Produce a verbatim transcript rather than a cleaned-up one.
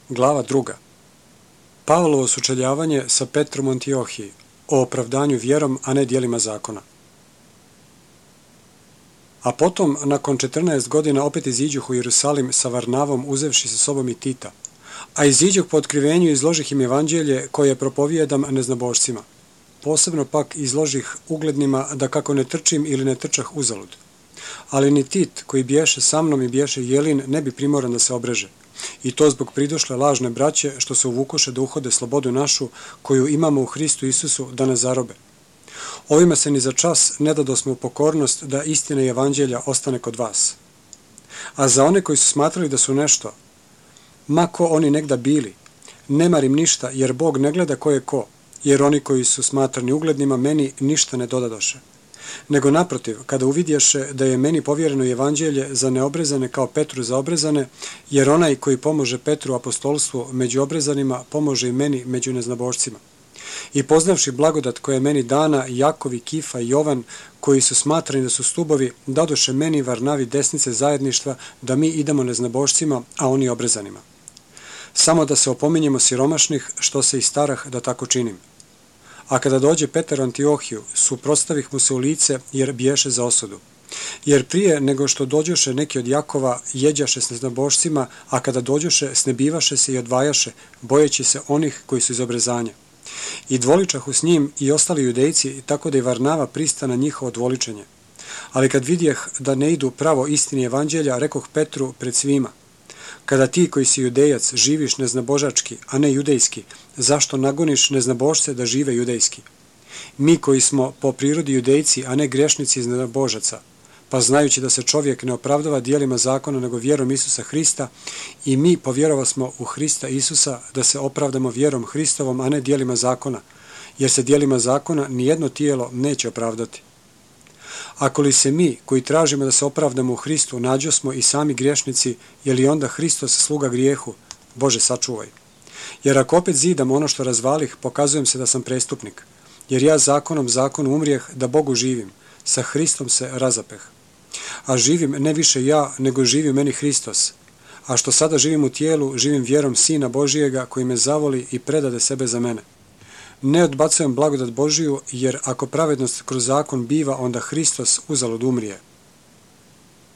Glava druga. Pavlovo sučeljavanje sa Petrom u Antiohiji o opravdanju vjerom, a ne djelima zakona. A potom, nakon četrnaest godina, opet iziđuh u Jerusalim sa Varnavom, uzevši sa sobom i Tita. A iziđuh po otkrivenju i izložih im evanđelje koje propovijedam neznabošcima. Posebno pak izložih uglednima da kako ne trčim ili ne trčah uzalud. Ali ni Tit, koji biješe sa mnom i biješe Jelin, ne bi primoran da se obreže. I to zbog pridošle lažne braće, što se uvukoše da uhode slobodu našu, koju imamo u Hristu Isusu, da nas zarobe. Ovima se ni za čas ne dadosmo u pokornost da istina i evanđelja ostane kod vas. A za one koji su smatrali da su nešto, ma ko oni negda bili, ne marim ništa, jer Bog ne gleda ko je ko, jer oni koji su smatrani uglednima meni ništa ne dodadoše. Nego naprotiv, kada uvidješe da je meni povjereno evanđelje za neobrezane kao Petru za obrezane, jer onaj koji pomože Petru apostolstvu među obrezanima, pomože i meni među neznabošcima. I poznavši blagodat koja je meni dana, Jakovi, Kifa i Jovan, koji su smatrani da su stubovi, dadoše meni Varnavi desnice zajedništva da mi idemo neznabošcima, a oni obrezanima. Samo da se opominjemo siromašnih, što se i starah da tako činim. A kada dođe Petar u Antiohiju, suprotstavih mu se u lice, jer biješe za osudu. Jer prije nego što dođoše neki od Jakova, jeđaše s neznabošcima, a kada dođoše, snebivaše se i odvajaše, bojeći se onih koji su iz obrezanja. I dvoličahu s njim i ostali judejci, tako da i Varnava prista na njihovo dvoličenje. Ali kad vidjeh da ne idu pravo istini evanđelja, rekoh Petru pred svima: kada ti koji si judejac živiš neznabožački, a ne judejski, zašto nagoniš neznabošce da žive judejski? Mi koji smo po prirodi judejci, a ne grešnici iz neznabožaca, pa znajući da se čovjek ne opravdava djelima zakona nego vjerom Isusa Hrista, i mi povjerovasmo u Hrista Isusa da se opravdamo vjerom Hristovom, a ne djelima zakona, jer se djelima zakona nijedno tijelo neće opravdati. Ako li se mi, koji tražimo da se opravdamo u Hristu, nađosmo i sami griješnici, je li onda Hristos sluga grijehu? Bože, sačuvaj. Jer ako opet zidam ono što razvalih, pokazujem se da sam prestupnik. Jer ja zakonom zakonu umrijeh da Bogu živim, sa Hristom se razapeh. A živim ne više ja, nego živi meni Hristos. A što sada živim u tijelu, živim vjerom Sina Božijega koji me zavoli i predade sebe za mene. Ne odbacujem blagodat Božiju, jer ako pravednost kroz zakon biva, onda Hristos uzalud umrije.